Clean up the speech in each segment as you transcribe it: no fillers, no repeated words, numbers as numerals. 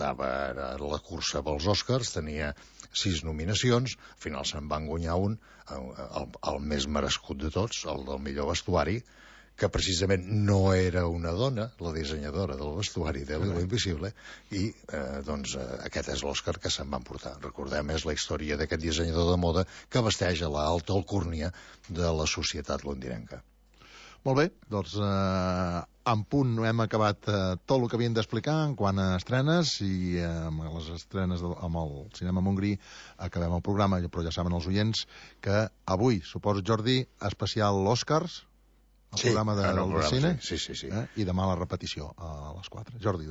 estava a la cursa pels Oscars, tenia 6 nominacions, al final se'n van guanyar un, el més merescut de tots, el del millor vestuari, que precisament no era una dona, la dissenyadora del vestuari de Lilo Invisible, i doncs aquest és l'Oscar que se'n van portar. Recordem, és la història d'aquest dissenyador de moda que vesteix a l'alta alcúrnia de la societat londinenca. Molt bé, doncs en punt hem acabat tot el que havíem d'explicar en quant a estrenes, i amb les estrenes amb el Cinema Montgrí acabem el programa, però ja saben els oients que avui, suposo, Jordi, especial Oscars, el programa del cine, sí. I demà la repetició a les 4. Jordi,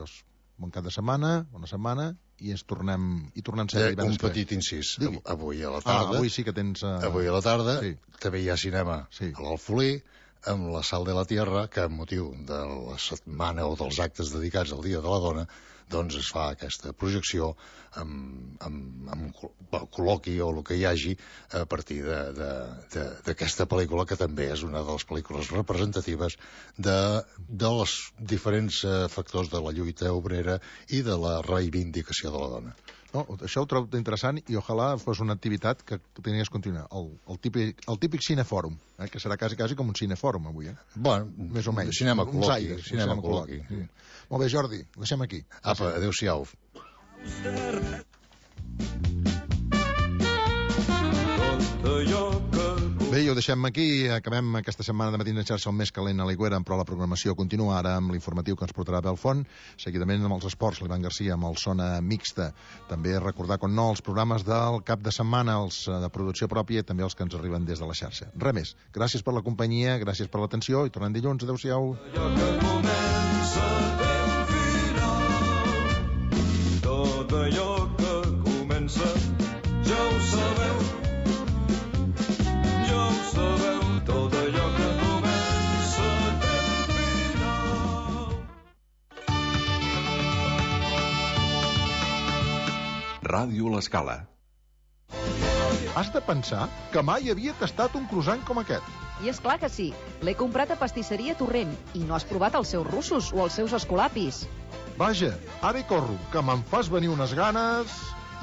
bon cap de setmana, bona setmana, i ens tornem un petit incís. Avui a la tarda, avui sí que tens... Avui a la tarda també hi ha cinema a l'Alfolí, amb la Sal de la Tierra, que amb motiu de la setmana o dels actes dedicats al Dia de la Dona, doncs es fa aquesta projecció amb col·loqui o el que hi hagi a partir d'aquesta pel·lícula, que també és una de les pel·lícules representatives dels diferents factors de la lluita obrera i de la reivindicació de la dona. No, això ho trobo interessant, i ojalà fos una activitat que tenies que continuar. El típic cinefòrum, que serà quasi com un cinefòrum avui, Bueno, més o menys. Cinema col·loqui. Molt bé, Jordi, ho deixem aquí. Apa, adéu-siau. Bé, i ho deixem aquí. Acabem aquesta setmana de Matins en xarxa, el més calent a l'Aigüera, però la programació continua ara amb l'informatiu que ens portarà Belfont, seguidament amb els esports, l'Ivan Garcia amb el Zona Mixta. També recordar, com no, els programes del cap de setmana, els de producció pròpia, i també els que ens arriben des de la xarxa. Res més. Gràcies per la companyia, gràcies per l'atenció, i tornem dilluns. Adéu-siau. Allò que comença té un final. Tot allò que comença ja ho sabeu. Tot allò que comença té un final. Ràdio L'Escala. Has de pensar que mai havia tastat un croissant com aquest. I és clar que sí. L'he comprat a Pastisseria Torrent i no has provat els seus russos o els seus escolapis. Vaja, ara hi corro, que me'n fas venir unes ganes...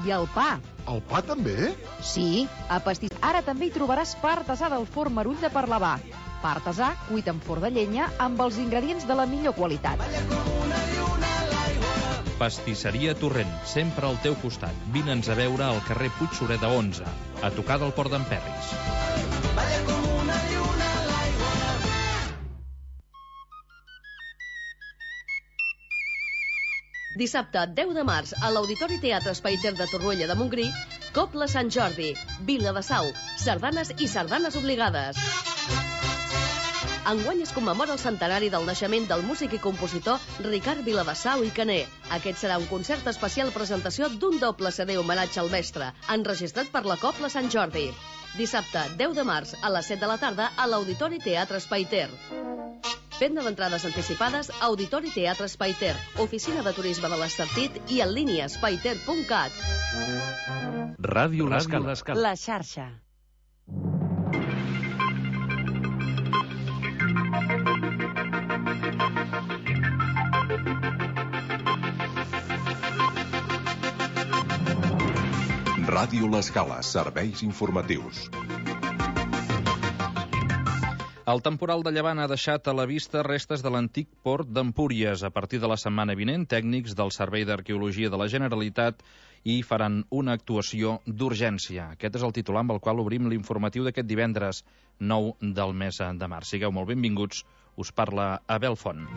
I el pa. El pa també? Sí, a Ara també hi trobaràs pa artesà del forn Marull de Parlavà. Pa artesà cuit en forn de llenya amb els ingredients de la millor qualitat. Pastisseria Torrent, sempre al teu costat. Vine'ns a veure al carrer Puig Sureda 11, a tocar del Port d'en Perris. Dissabte, 10 de març, a l'Auditori Teatre Espai Ter de Torroella de Montgrí, Cobla Sant Jordi, Vila de Sau, sardanes i sardanes obligades. Enguany es commemora el centenari del naixement del músic i compositor Ricard Viladesau i Caner. Aquest serà un concert especial presentació d'un doble CD homenatge al mestre, enregistrat per la Cobla Sant Jordi. Dissabte, 10 de març, a les 7 de la tarda, a l'Auditori Teatre Espai Ter. Venda d'entrades anticipades, Auditori Teatre Espai Ter, Oficina de Turisme de l'Estartit i en línia espaiter.cat. Ràdio L'Escala. La xarxa. Ràdio L'Escala, serveis informatius. El temporal de llevant ha deixat a la vista restes de l'antic port d'Empúries. A partir de la setmana vinent, tècnics del Servei d'Arqueologia de la Generalitat hi faran una actuació d'urgència. Aquest és el titular amb el qual obrim l'informatiu d'aquest divendres 9 del mes de març. Sigueu molt benvinguts. Us parla Abel Font.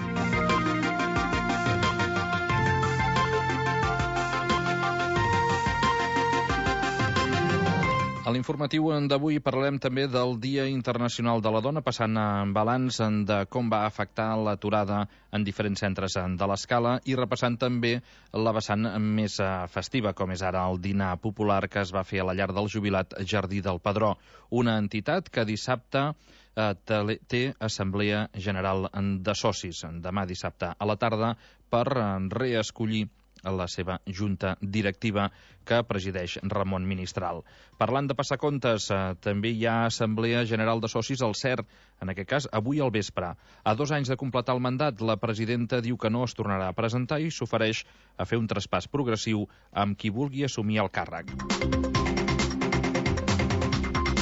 A l'informatiu d'avui parlarem també del Dia Internacional de la Dona, passant en balanç de com va afectar l'aturada en diferents centres de l'Escala i repassant també la vessant més festiva, com és ara el dinar popular que es va fer a la llar del jubilat Jardí del Pedró, una entitat que dissabte té Assemblea General de Socis, demà dissabte a la tarda, per reescollir la seva junta directiva que presideix Ramon Ministral. Parlant de passar comptes, també hi ha Assemblea General de Socis al CER, en aquest cas avui al vespre. A 2 anys de completar el mandat, la presidenta diu que no es tornarà a presentar i s'ofereix a fer un traspàs progressiu amb qui vulgui assumir el càrrec.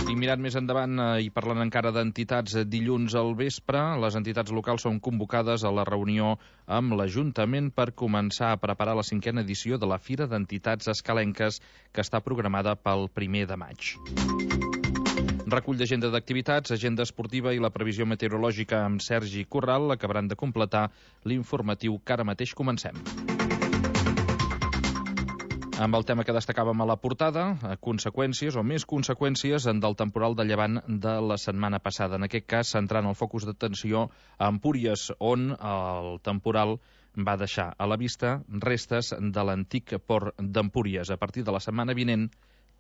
I mirant més endavant i parlant encara d'entitats, dilluns al vespre les entitats locals són convocades a la reunió amb l'Ajuntament per començar a preparar la 5a edició de la Fira d'Entitats Escalenques que està programada pel 1 de maig. Recull d'agenda d'activitats, agenda esportiva i la previsió meteorològica amb Sergi Corral acabaran de completar l'informatiu que ara mateix comencem. Amb el tema que destacàvem a la portada, conseqüències o més conseqüències del temporal de llevant de la setmana passada. En aquest cas, centrant el focus d'atenció a Empúries, on el temporal va deixar a la vista restes de l'antic port d'Empúries. A partir de la setmana vinent,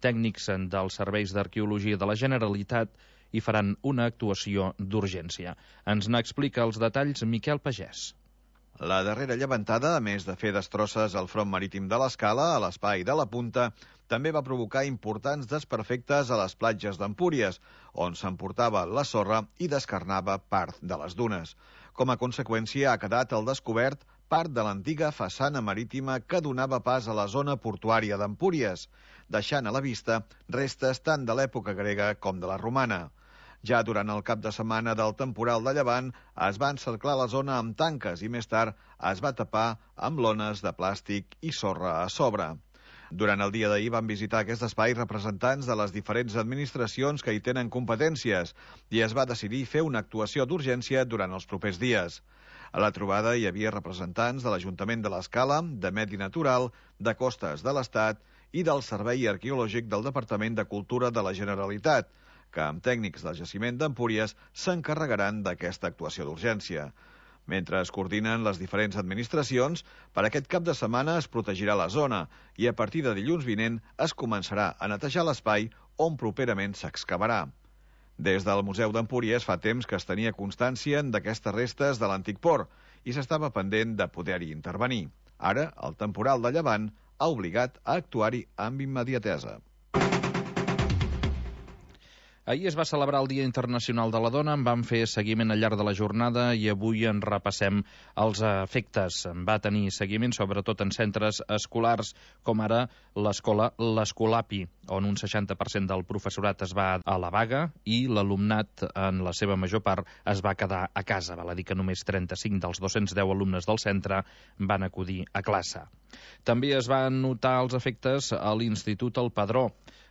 tècnics dels serveis d'arqueologia de la Generalitat hi faran una actuació d'urgència. Ens n'explica els detalls Miquel Pagès. La darrera llevantada, a més de fer destrosses al front marítim de l'Escala, a l'espai de la Punta, també va provocar importants desperfectes a les platges d'Empúries, on s'emportava la sorra i descarnava part de les dunes. Com a conseqüència, ha quedat al descobert part de l'antiga façana marítima que donava pas a la zona portuària d'Empúries, deixant a la vista restes tant de l'època grega com de la romana. Ja durant el cap de setmana del temporal de llevant es va encerclar la zona amb tanques i més tard es va tapar amb lones de plàstic i sorra a sobre. Durant el dia d'ahir van visitar aquest espai representants de les diferents administracions que hi tenen competències i es va decidir fer una actuació d'urgència durant els propers dies. A la trobada hi havia representants de l'Ajuntament de l'Escala, de Medi Natural, de Costes de l'Estat i del Servei Arqueològic del Departament de Cultura de la Generalitat, que amb tècnics del jaciment d'Empúries s'encarregaran d'aquesta actuació d'urgència. Mentre es coordinen les diferents administracions, per aquest cap de setmana es protegirà la zona i a partir de dilluns vinent es començarà a netejar l'espai on properament s'excavarà. Des del Museu d'Empúries fa temps que es tenia constància d'aquestes restes de l'antic port i s'estava pendent de poder-hi intervenir. Ara, el temporal de llevant ha obligat a actuar-hi amb immediatesa. Ahir es va celebrar el Dia Internacional de la Dona, en vam fer seguiment al llarg de la jornada i avui en repassem els efectes. Va tenir seguiment sobretot en centres escolars, com ara l'escola l'Escolapi, on un 60% del professorat es va a la vaga i l'alumnat, en la seva major part, es va quedar a casa. Val a dir que només 35 dels 210 alumnes del centre van acudir a classe. També es van notar els efectes a l'Institut El Padró.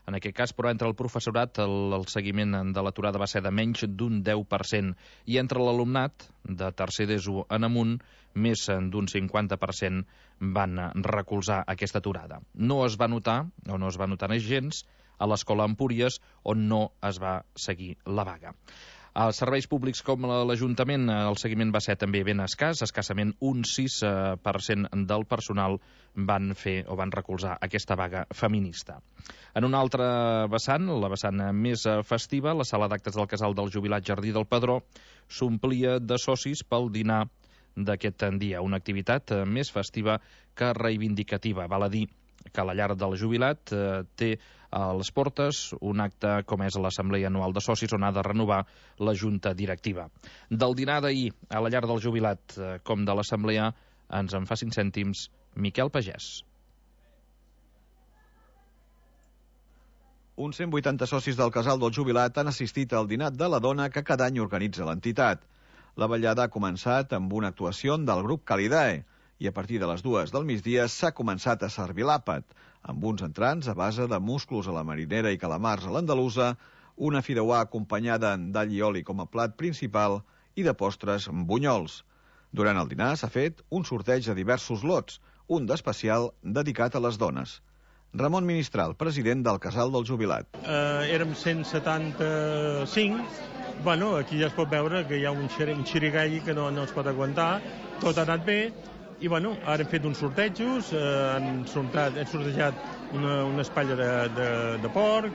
En aquest cas, però, entre el professorat, el seguiment de l'aturada va ser de menys d'un 10%, i entre l'alumnat, de tercer d'ESO en amunt, més d'un 50% van recolzar aquesta aturada. No es va notar, o no es va notar gens, a l'escola Empúries, on no es va seguir la vaga. Als serveis públics com l'Ajuntament, el seguiment va ser també ben escàs, escassament un 6% del personal van fer o van recolzar aquesta vaga feminista. En una altra vessant, la vessant més festiva, la sala d'actes del Casal del Jubilat Jardí del Padró s'omplia de socis pel dinar d'aquest dia, una activitat més festiva que reivindicativa. Val a dir que la llar del jubilat té a les portes un acte com és l'Assemblea Anual de Socis, on ha de renovar la Junta Directiva. Del dinar d'ahir a la llar del jubilat com de l'Assemblea ens en fa 5 cèntims Miquel Pagès. Uns 180 socis del Casal del Jubilat han assistit al dinar de la dona que cada any organitza l'entitat. La ballada ha començat amb una actuació del grup Calidae, i a partir de les 2 del migdia s'ha començat a servir l'àpat, amb uns entrants a base de musclos a la marinera i calamars a l'andalusa, una fideuà acompanyada d'all i oli com a plat principal i de postres amb bunyols. Durant el dinar s'ha fet un sorteig de diversos lots, un d'especial dedicat a les dones. Ramon Ministral, president del Casal del Jubilat. Érem 175. Bueno, aquí ja es pot veure que hi ha un xirigalli que no es pot aguantar. Tot ha anat bé. I bueno, ara hem fet uns sortejos, hem sortejat una espatlla de porc,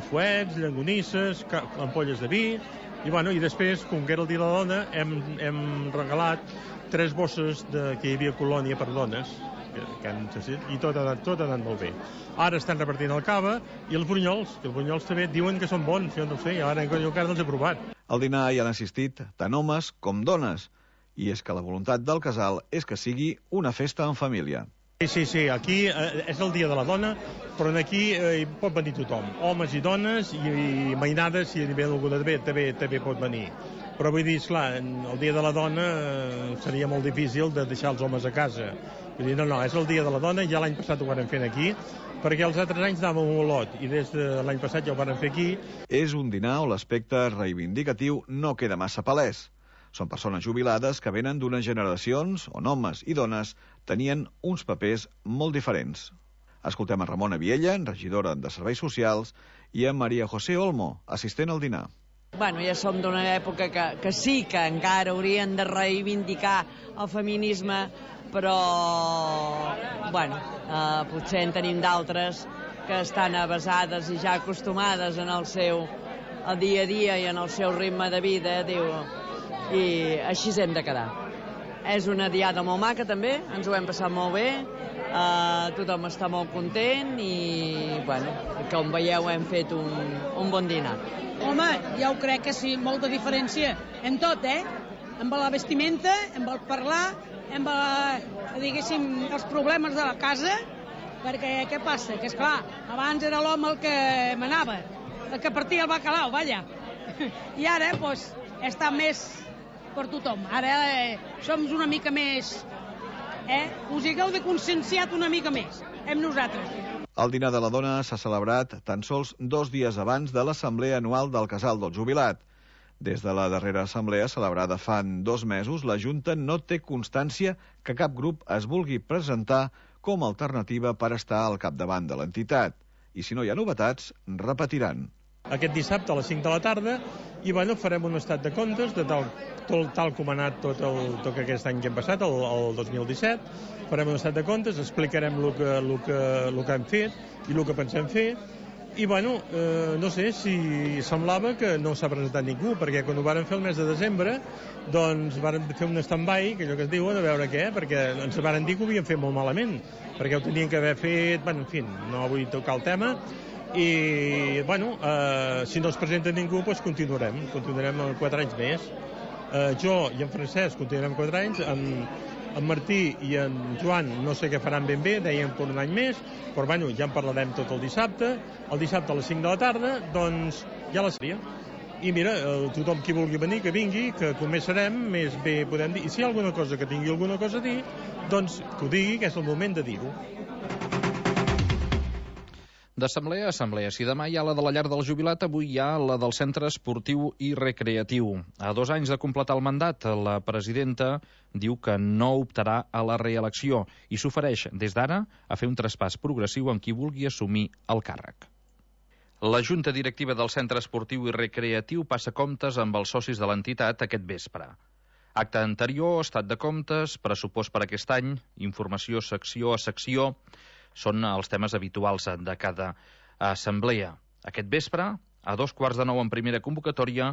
fuets, llonganisses, ampolles de vi, i després, com que era el dia de la dona, hem regalat 3 bosses que hi havia colònia per dones, i tot ha anat molt bé. Ara estan repartint el cava i els brunyols, que els brunyols també diuen que són bons, jo no sé, ara jo encara no els he provat. Al dinar hi han assistit tant homes com dones, i és que la voluntat del casal és que sigui una festa en família. Sí, aquí és el dia de la dona, però aquí hi pot venir tothom, homes i dones, i mainades, si hi ve algú de bé, també pot venir. Però vull dir, esclar, el dia de la dona seria molt difícil de deixar els homes a casa. Vull dir, no, és el dia de la dona, ja l'any passat ho vàrem fer aquí, perquè els altres anys anàvem a Olot, i des de l'any passat ja ho vàrem fer aquí. És un dinar on l'aspecte reivindicatiu no queda massa palès. Són persones jubilades que venen d'unes generacions on homes i dones tenien uns papers molt diferents. Escoltem a Ramona Viella, regidora de Serveis Socials, i a Maria José Olmo, assistent al dinar. Bueno, ja som d'una època que sí que encara haurien de reivindicar el feminisme, però bueno, potser en tenim d'altres que estan avasades i ja acostumades en el seu dia a dia i en el seu ritme de vida, i així hem de quedar. És una diada molt maca també, ens ho hem passat molt bé, tothom està molt content i, bueno, com veieu hem fet un bon dinar. Home, ja ho crec que sí, molta diferència en tot, amb la vestimenta, amb el parlar, amb diguéssim, els problemes de la casa, perquè què passa? Que esclar, abans era l'home el que manava, el que partia el bacalao, vaja. I ara, doncs, està més per tothom. Ara som una mica més, us hagueu de conscienciat una mica més, amb nosaltres. El dinar de la dona s'ha celebrat tan sols 2 dies abans de l'assemblea anual del Casal del Jubilat. Des de la darrera assemblea celebrada fa 2 mesos, la Junta no té constància que cap grup es vulgui presentar com a alternativa per estar al capdavant de l'entitat. I si no hi ha novetats, repetiran. Aquest dissabte a les 5 de la tarda i bueno, farem un estat de comptes de tal com ha anat tot aquest any que hem passat, el 2017. Farem un estat de comptes, explicarem el que hem fet i el que pensem fer. I bueno, no sé si semblava que no s'ha presentat ningú, perquè quan ho vàrem fer el mes de desembre, doncs vàrem fer un stand-by, que allò que es diuen, a veure què, perquè ens varen dir que ho havien fet molt malament, perquè ho tenien que haver fet, bueno, en fi, no vull tocar el tema, i bueno, si no es presenta ningú, doncs continuarem 4 anys més. Jo i en Francesc continuarem 4 anys, en Martí i en Joan no sé què faran ben bé, deien per un any més, però bueno, ja en parlarem tot el dissabte a les 5 de la tarda, doncs ja la seria. I mira, tothom qui vulgui venir, que vingui, que com més serem, més bé podem dir. I si hi ha alguna cosa que tingui alguna cosa a dir, doncs que ho digui, que és el moment de dir-ho. D'assemblea a assemblea. Si demà hi ha la de la llar del jubilat, avui hi ha la del centre esportiu i recreatiu. A 2 anys de completar el mandat, la presidenta diu que no optarà a la reelecció i s'ofereix des d'ara a fer un traspàs progressiu amb qui vulgui assumir el càrrec. La Junta Directiva del Centre Esportiu i Recreatiu passa comptes amb els socis de l'entitat aquest vespre. Acte anterior, estat de comptes, pressupost per aquest any, informació secció a secció, són els temes habituals de cada assemblea. Aquest vespre, a 8:45 en primera convocatòria,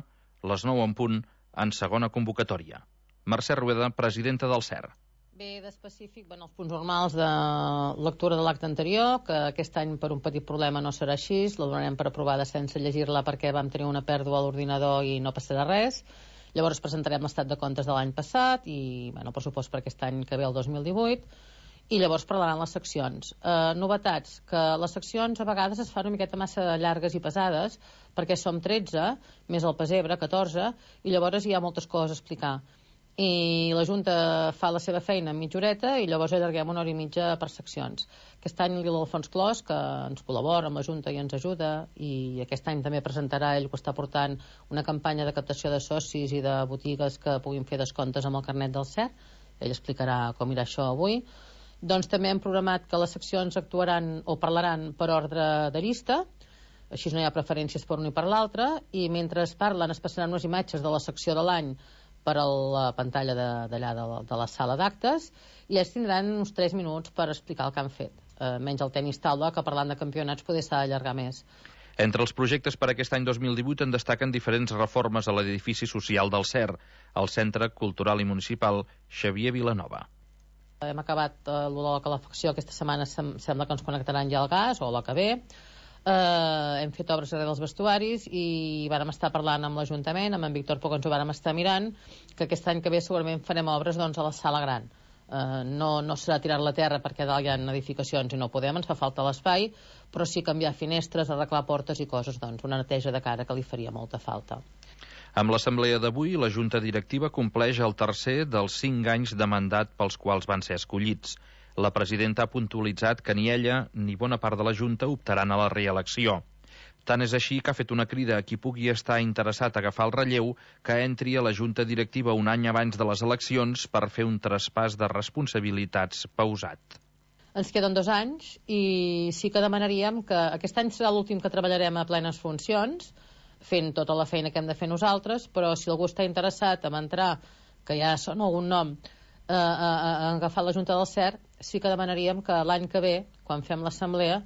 les 9 en punt en segona convocatòria. Mercè Rueda, presidenta del CER. Bé, d'específic, els punts normals de lectura de l'acte anterior, que aquest any per un petit problema no serà així, la donarem per aprovada sense llegir-la perquè vam tenir una pèrdua a l'ordinador i no passarà res. Llavors presentarem l'estat de comptes de l'any passat i el pressupost per aquest any que ve el 2018. I llavors parlaran les seccions. Novetats, que les seccions a vegades es fan una miqueta massa llargues i pesades, perquè som 13, més el pessebre, 14, i llavors hi ha moltes coses a explicar. I la Junta fa la seva feina en mitja horeta i llavors allarguem 1 hora i mitja per seccions. Aquest any l'Alfons Clos, que ens col·labora amb la Junta i ens ajuda, i aquest any també presentarà ell que està portant una campanya de captació de socis i de botigues que puguin fer descomptes amb el carnet del CER. Ell explicarà com irà això avui. Doncs també hem programat que les seccions actuaran o parlaran per ordre de llista, així no hi ha preferències per un i per l'altre, i mentre es parlen es passaran unes imatges de la secció de l'any per a la pantalla d'allà de la sala d'actes, i ells tindran uns 3 minuts per explicar el que han fet. Menys el tenis taula, que parlant de campionats poder s'ha d'allargar més. Entre els projectes per aquest any 2018 en destaquen diferents reformes a l'edifici social del CER, el Centre Cultural i Municipal Xavier Vilanova. Hem acabat de la calefacció, aquesta setmana sembla que ens connectaran ja el gas, o la que ve. Hem fet obres darrere dels vestuaris i vàrem estar parlant amb l'Ajuntament, amb en Víctor Poc ens ho vàrem estar mirant, que aquest any que ve segurament farem obres doncs, a la sala gran. No serà tirar la terra perquè dalt hi ha edificacions i no podem, ens fa falta l'espai, però sí canviar finestres, arreglar portes i coses, doncs una neteja de cara que li faria molta falta. Amb l'assemblea d'avui, la Junta Directiva compleix el tercer dels 5 anys de mandat pels quals van ser escollits. La presidenta ha puntualitzat que ni ella ni bona part de la Junta optaran a la reelecció. Tant és així que ha fet una crida a qui pugui estar interessat a agafar el relleu que entri a la Junta Directiva un any abans de les eleccions per fer un traspàs de responsabilitats pausat. Ens queden 2 anys i sí que demanaríem que aquest any serà l'últim que treballarem a plenes funcions, fent tota la feina que hem de fer nosaltres, però si algú està interessat en entrar, que ja sona algun nom, a agafar la Junta del CERT, sí que demanaríem que l'any que ve, quan fem l'assemblea,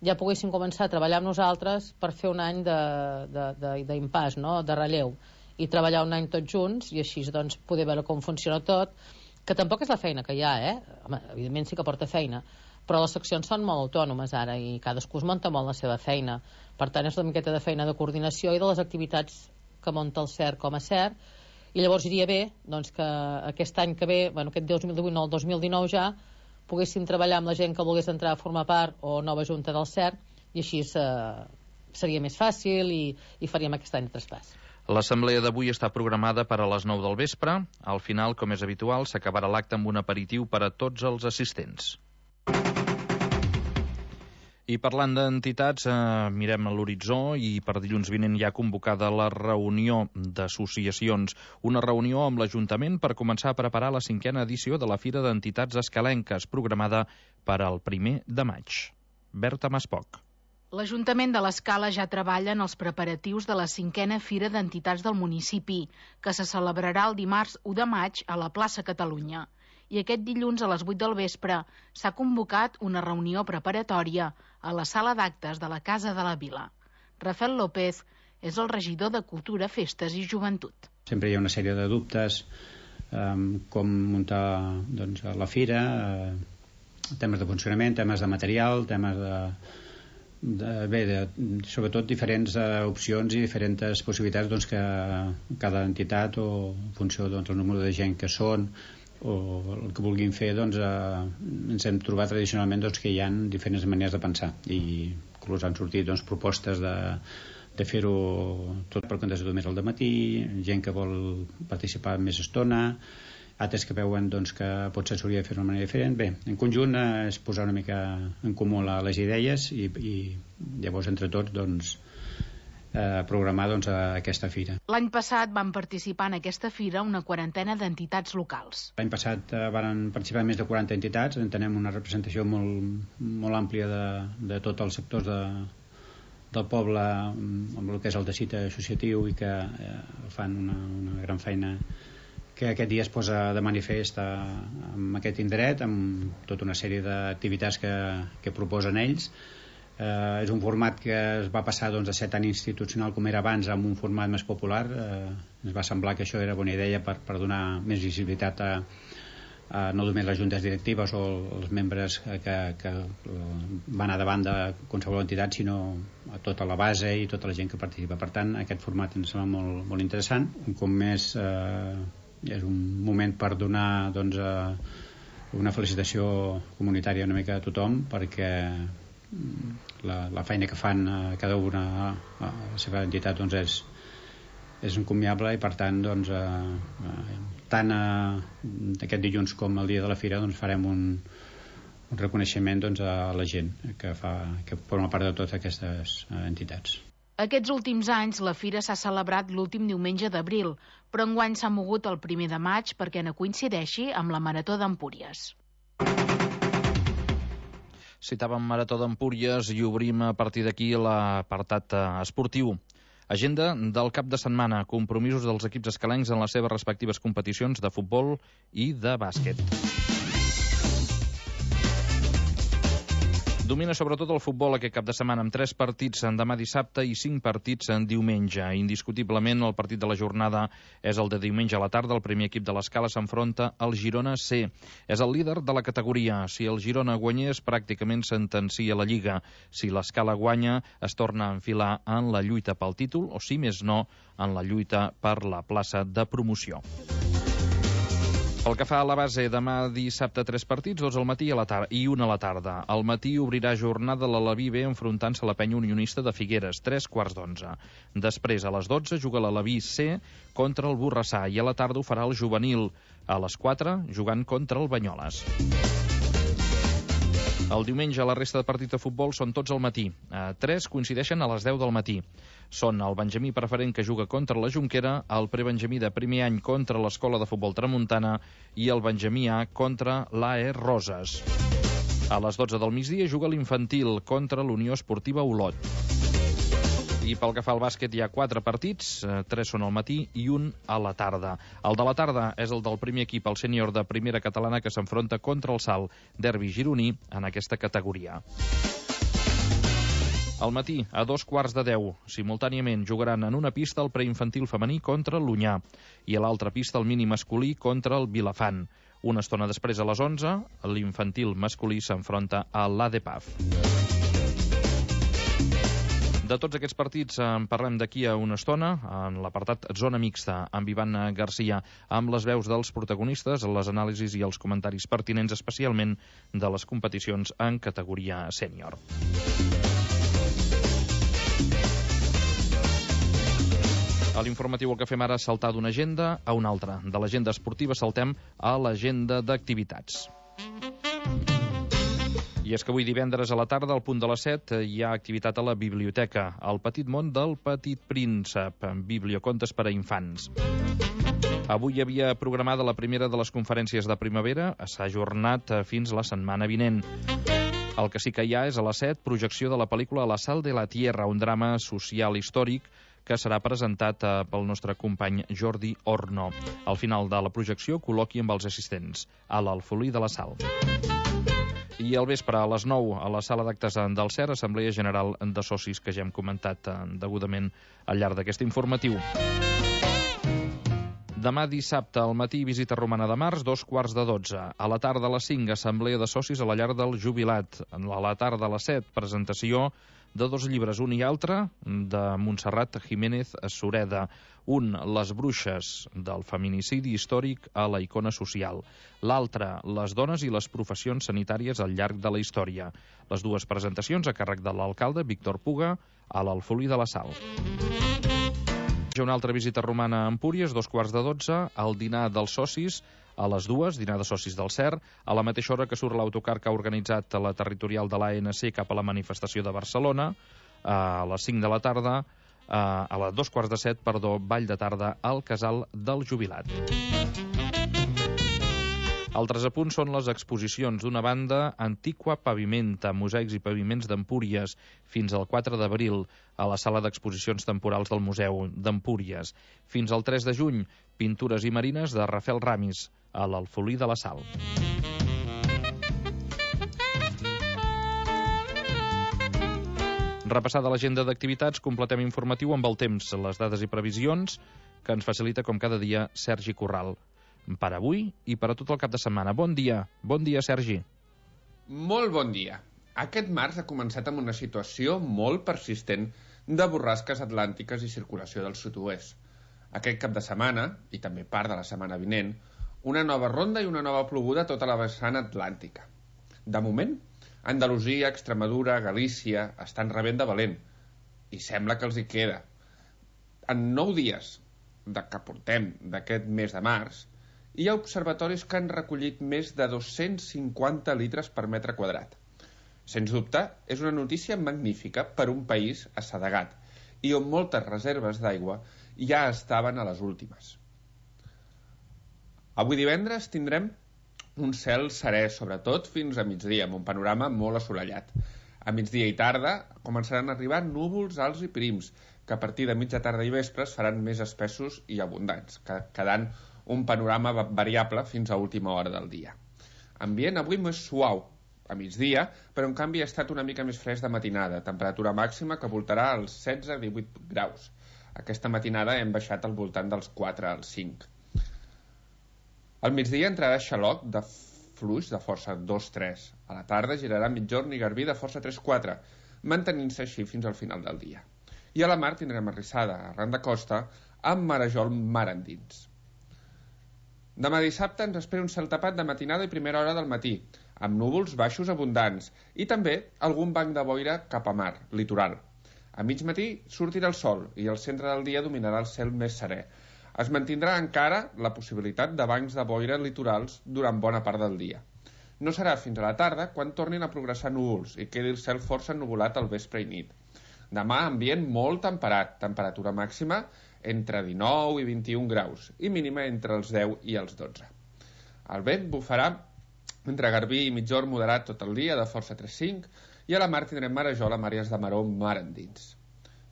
ja poguéssim començar a treballar amb nosaltres per fer un any d'impàs, no? De relleu, i treballar un any tots junts i així doncs poder veure com funciona tot, que tampoc és la feina que hi ha, Home, evidentment sí que porta feina, però les seccions són molt autònomes ara i cadascú es munta molt la seva feina. Per tant, és una miqueta de feina de coordinació i de les activitats que munta el CERT com a CERT. I llavors iria bé doncs, que aquest any que ve, aquest 2018 no, el 2019 ja, poguéssim treballar amb la gent que volgués entrar a formar part o nova junta del CERT i així seria més fàcil i faríem aquest any de traspàs. L'assemblea d'avui està programada per a les 9 del vespre. Al final, com és habitual, s'acabarà l'acte amb un aperitiu per a tots els assistents. I parlant d'entitats, mirem a l'horitzó i per dilluns vinent hi ha convocada la reunió d'associacions. Una reunió amb l'Ajuntament per començar a preparar la 5a edició de la Fira d'Entitats Escalenques, programada per al 1 de maig. Berta Maspoc. L'Ajuntament de l'Escala ja treballa en els preparatius de la 5a Fira d'Entitats del municipi, que se celebrarà el dimarts 1 de maig a la plaça Catalunya. I aquest dilluns a les 8 del vespre s'ha convocat una reunió preparatòria a la sala d'actes de la Casa de la Vila. Rafael López és el regidor de Cultura, Festes i Joventut. Sempre hi ha una sèrie de dubtes, com muntar la fira, temes de funcionament, temes de material, temes sobretot diferents opcions i diferents possibilitats que cada entitat o en funció del número de gent que són o el que vulguin fer, ens hem trobat tradicionalment que hi ha diferents maneres de pensar i inclús han sortit propostes de fer-ho tot per comptes de més al dematí, gent que vol participar més estona, altres que veuen que potser s'hauria de fer d'una manera diferent. Bé, en conjunt és posar una mica en comú les idees i llavors entre tots programar aquesta fira. L'any passat van participar en aquesta fira una 40ena d'entitats locals. L'any passat van participar més de 40 entitats, en tenem una representació molt àmplia de tots els sectors del poble amb el que és el teixit associatiu i que fan una gran feina que aquest dia es posa de manifest amb aquest indret, amb tota una sèrie d'activitats que proposen ells. És un format que es va passar de ser tan institucional com era abans a un format més popular. Ens va semblar que això era bona idea per donar més visibilitat a no només les juntes directives o els membres que van a davant de qualsevol entitat, sinó a tota la base i tota la gent que participa. Per tant, aquest format ens sembla molt, molt interessant. Un cop més és un moment per donar una felicitació comunitària una mica a tothom, perquè la feina que fan cada una a la seva entitat és encomiable i per tant tant aquest dilluns com el dia de la fira farem un reconeixement a la gent que forma part de totes aquestes entitats. Aquests últims anys la fira s'ha celebrat l'últim diumenge d'abril, però enguany s'ha mogut el 1 de maig perquè no coincideixi amb la Marató d'Empúries. Citàvem Marató d'Empúries i obrim a partir d'aquí l'apartat esportiu. Agenda del cap de setmana, compromisos dels equips escalencs en les seves respectives competicions de futbol i de bàsquet. Domina sobretot el futbol aquest cap de setmana, amb 3 partits en demà dissabte i 5 partits en diumenge. Indiscutiblement, el partit de la jornada és el de diumenge a la tarda. El primer equip de l'Escala s'enfronta al Girona C. És el líder de la categoria. Si el Girona guanyés, pràcticament sentencia la Lliga. Si l'Escala guanya, es torna a enfilar en la lluita pel títol, o si més no, en la lluita per la plaça de promoció. Pel que fa a la base, demà dissabte 3 partits, 2 al matí i 1 a la tarda. Al matí obrirà jornada l'Alaví B enfrontant-se a la penya unionista de Figueres, 3:15. Després, a les 12, juga l'Alaví C contra el Borrassà i a la tarda ho farà el juvenil, a les 4, jugant contra el Banyoles. El diumenge la resta de partits de futbol són tots al matí. 3 coincideixen a les 10 del matí. Són el Benjamí preferent que juga contra la Jonquera, el prebenjamí de primer any contra l'Escola de Futbol Tramuntana i el Benjamí A contra l'AE Roses. A les 12 del migdia juga l'infantil contra l'Unió Esportiva Olot. I pel que fa al bàsquet hi ha 4 partits, 3 són al matí i 1 a la tarda. El de la tarda és el del primer equip, el sènior de primera catalana, que s'enfronta contra el Salt, derbi gironí en aquesta categoria. Al matí, a 2:15, simultàniament jugaran en una pista el preinfantil femení contra l'Unyà i a l'altra pista el mini masculí contra el Vilafant. Una estona després, a les 11, l'infantil masculí s'enfronta a l'ADPAF. De tots aquests partits en parlem d'aquí a una estona, en l'apartat Zona Mixta, amb Ivan Garcia, amb les veus dels protagonistes, les anàlisis i els comentaris pertinents, especialment de les competicions en categoria sènior. A l'informatiu el que fem ara és saltar d'una agenda a una altra. De l'agenda esportiva saltem a l'agenda d'activitats. I és que avui divendres a la tarda, al punt de les 7, hi ha activitat a la biblioteca, El petit món del Petit Príncep, bibliocontes per a infants. Avui hi havia programada la primera de les conferències de primavera, s'ha ajornat fins la setmana vinent. El que sí que hi ha és a les 7, projecció de la pel·lícula La sal de la tierra, un drama social històric que serà presentat pel nostre company Jordi Orno. Al final de la projecció, col·loqui amb els assistents a l'Alfolí de la Sal. I al vespre, a les 9, a la sala d'actes del CER, Assemblea General de Socis, que ja hem comentat degudament al llarg d'aquest informatiu. Demà dissabte al matí, visita romana de Mars, 2:15. A la tarda a les 5, Assemblea de Socis a la llar del jubilat. A la tarda a les 7, presentació de 2 llibres, un i altre, de Montserrat Jiménez Sureda. Un, Les bruixes, del feminicidi històric a la icona social. L'altre, Les dones i les professions sanitàries al llarg de la història. Les dues presentacions a càrrec de l'alcalde Víctor Puga a l'Alfolí de la Sal. Una altra visita romana a Empúries, 2:15, al dinar dels socis, a les 2, dinar de socis del CER, a la mateixa hora que surt l'autocar que ha organitzat la territorial de l'ANC cap a la manifestació de Barcelona, a les 5 de la tarda, a les 2:15, ball de tarda al Casal del Jubilat. Altres apunts són les exposicions. D'una banda, Antiqua Pavimenta, mosaics i paviments d'Empúries, fins al 4 d'abril, a la sala d'exposicions temporals del Museu d'Empúries. Fins al 3 de juny, pintures i marines de Rafael Ramis, a l'Alfolí de la Sal. Repassada l'agenda d'activitats, completem informatiu amb el temps, les dades i previsions que ens facilita, com cada dia, Sergi Corral. Per avui i per a tot el cap de setmana. Bon dia, Sergi. Molt bon dia. Aquest març ha començat amb una situació molt persistent de borrasques atlàntiques i circulació del sud-oest. Aquest cap de setmana, i també part de la setmana vinent, una nova ronda i una nova ploguda a tota la vessant atlàntica. De moment, Andalusia, Extremadura, Galícia estan rebent de valent, i sembla que els hi queda. En 9 dies que portem d'aquest mes de març, hi ha observatoris que han recollit més de 250 litres per metre quadrat. Sens dubte, és una notícia magnífica per un país assedegat i on moltes reserves d'aigua ja estaven a les últimes. Avui divendres tindrem un cel serè, sobretot fins a migdia, amb un panorama molt assolellat. A migdia i tarda començaran a arribar núvols alts i prims, que a partir de mitja tarda i vespre es faran més espessos i abundants, quedant un panorama variable fins a última hora del dia. Ambient avui més suau, a migdia, però en canvi ha estat una mica més fresc de matinada, temperatura màxima que voltarà als 16-18 graus. Aquesta matinada hem baixat al voltant dels 4 als 5. Al migdia entrarà xaloc de fluix de força 2-3. A la tarda girarà migjorn i garbí de força 3-4, mantenint-se així fins al final del dia. I a la mar tindrem arrissada, arran de costa, amb marejol mar endins. Demà dissabte ens espera un cel tapat de matinada i primera hora del matí, amb núvols baixos abundants i també algun banc de boira cap a mar, litoral. A mig matí sortirà el sol i al centre del dia dominarà el cel més serè. Es mantindrà encara la possibilitat de bancs de boira litorals durant bona part del dia. No serà fins a la tarda quan tornin a progressar núvols i quedi el cel força ennuvolat al vespre i nit. Demà ambient molt temperat, temperatura màxima entre 19 i 21 graus i mínima entre els 10 i els 12. El vent bufarà entre garbí i migjorn moderat tot el dia de força 3-5 i a la mar tindrem marejol amb àrees de maró mar endins.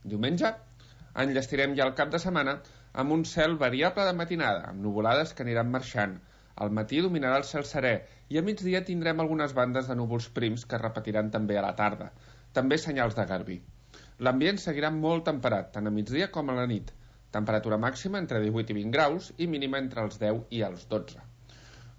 Diumenge enllestirem ja el cap de setmana amb un cel variable de matinada, amb nuvolades que aniran marxant. Al matí dominarà el cel serè i a migdia tindrem algunes bandes de núvols prims que es repetiran també a la tarda. També senyals de garbí. L'ambient seguirà molt temperat, tant a migdia com a la nit. Temperatura màxima entre 18 i 20 graus i mínima entre els 10 i els 12.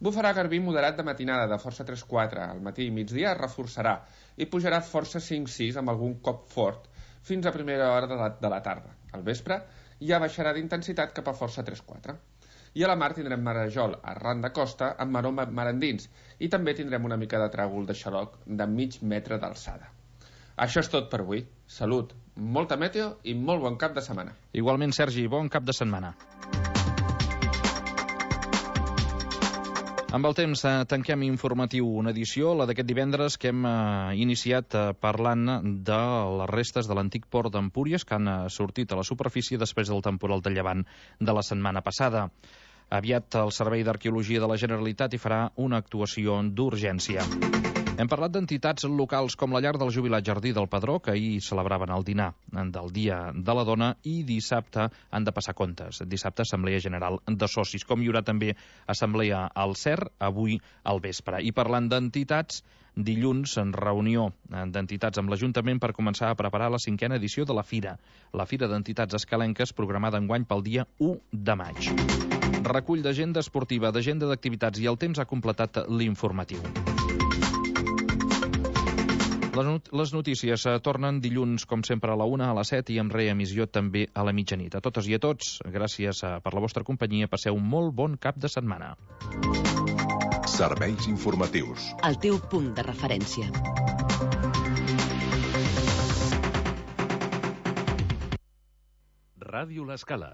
Bufarà garbí moderat de matinada de força 3-4. Al matí i migdia es reforçarà i pujarà força 5-6 amb algun cop fort fins a primera hora de la tarda. Al vespre ja baixarà d'intensitat cap a força 3-4. I a la mar tindrem marejol arran de costa amb maró mar endins i també tindrem una mica de tràgol de xaloc de mig metre d'alçada. Això és tot per avui. Salut, molta meteo i molt bon cap de setmana. Igualment, Sergi, bon cap de setmana. Amb el temps tanquem informatiu una edició, la d'aquest divendres, que hem iniciat parlant de les restes de l'antic port d'Empúries que han sortit a la superfície després del temporal de llevant de la setmana passada. Aviat el Servei d'Arqueologia de la Generalitat hi farà una actuació d'urgència. Hem parlat d'entitats locals com la Llar del Jubilat Jardí del Padró, que ahir celebraven el dinar del Dia de la Dona, i dissabte han de passar comptes. Dissabte, Assemblea General de Socis. Com hi haurà també Assemblea al CER, avui al vespre. I parlant d'entitats, dilluns en reunió d'entitats amb l'Ajuntament per començar a preparar la 5a edició de la Fira. La Fira d'Entitats Escalenques, programada enguany pel dia 1 de maig. Recull d'agenda esportiva, d'agenda d'activitats i el temps ha completat l'informatiu. Les notícies tornen dilluns, com sempre, a la 1, a les 7 i amb reemissió també a la mitjanit. A totes i a tots, gràcies per la vostra companyia. Passeu un molt bon cap de setmana. Serveis informatius. El teu punt de referència. Ràdio L'Escala.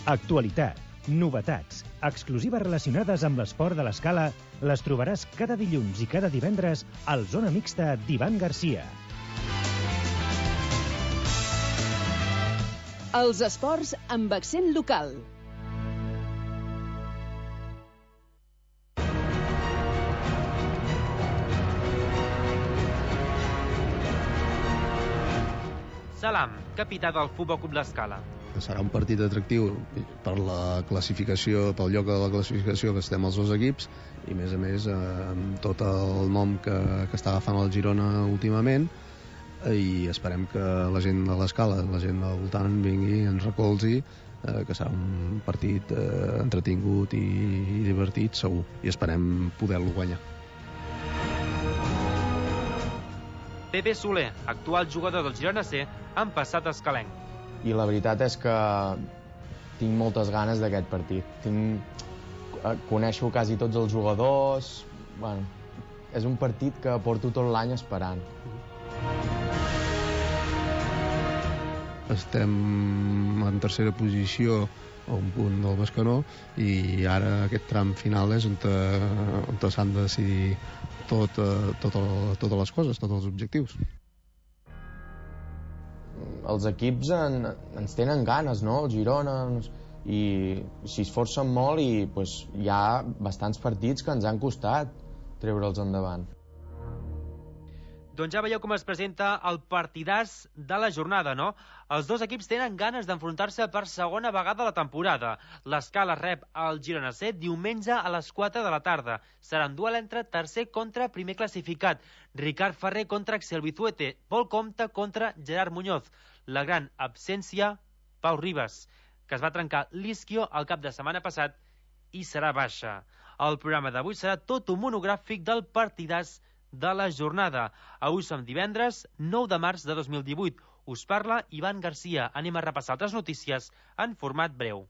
Actualitat, novetats, exclusives relacionades amb l'esport de l'Escala les trobaràs cada dilluns i cada divendres al Zona Mixta d'Ivan Garcia. Els esports amb accent local. Salam, capità del Futbol Club L'Escala. Serà un partit atractiu per la classificació, pel lloc de la classificació que estem els dos equips i a més amb tot el nom que està agafant el Girona últimament, i esperem que la gent de l'Escala, la gent del voltant vingui i ens recolzi, que serà un partit entretingut i divertit segur, i esperem poder-lo guanyar. Pepe Soler, actual jugador del Girona C, en passat escalenc. I la veritat és que tinc moltes ganes d'aquest partit. Coneixo quasi tots els jugadors. Bueno, és un partit que porto tot l'any esperant. Estem en tercera posició a un punt del Bescanó i ara aquest tram final és on s'han de decidir totes les coses, tots els objectius. Els equips ens tenen ganes, no? El Girona, i s'hi esforcen molt i hi ha bastants partits que ens han costat treure'ls endavant. Doncs ja veieu com es presenta el partidàs de la jornada, no? Els dos equips tenen ganes d'enfrontar-se per segona vegada a la temporada. l'Escala rep el Girona C diumenge a les 4 de la tarda. Serà un duel entre tercer contra primer classificat. Ricard Ferrer contra Axel Bizuete. Pol Comte contra Gerard Muñoz. La gran absència, Pau Ribas, que es va trencar l'isquio el cap de setmana passat i serà baixa. El programa d'avui serà tot un monogràfic del partidàs de la jornada. Avui som divendres 9 de març de 2018. Us parla Ivan Garcia. Anem a repassar altres notícies en format breu.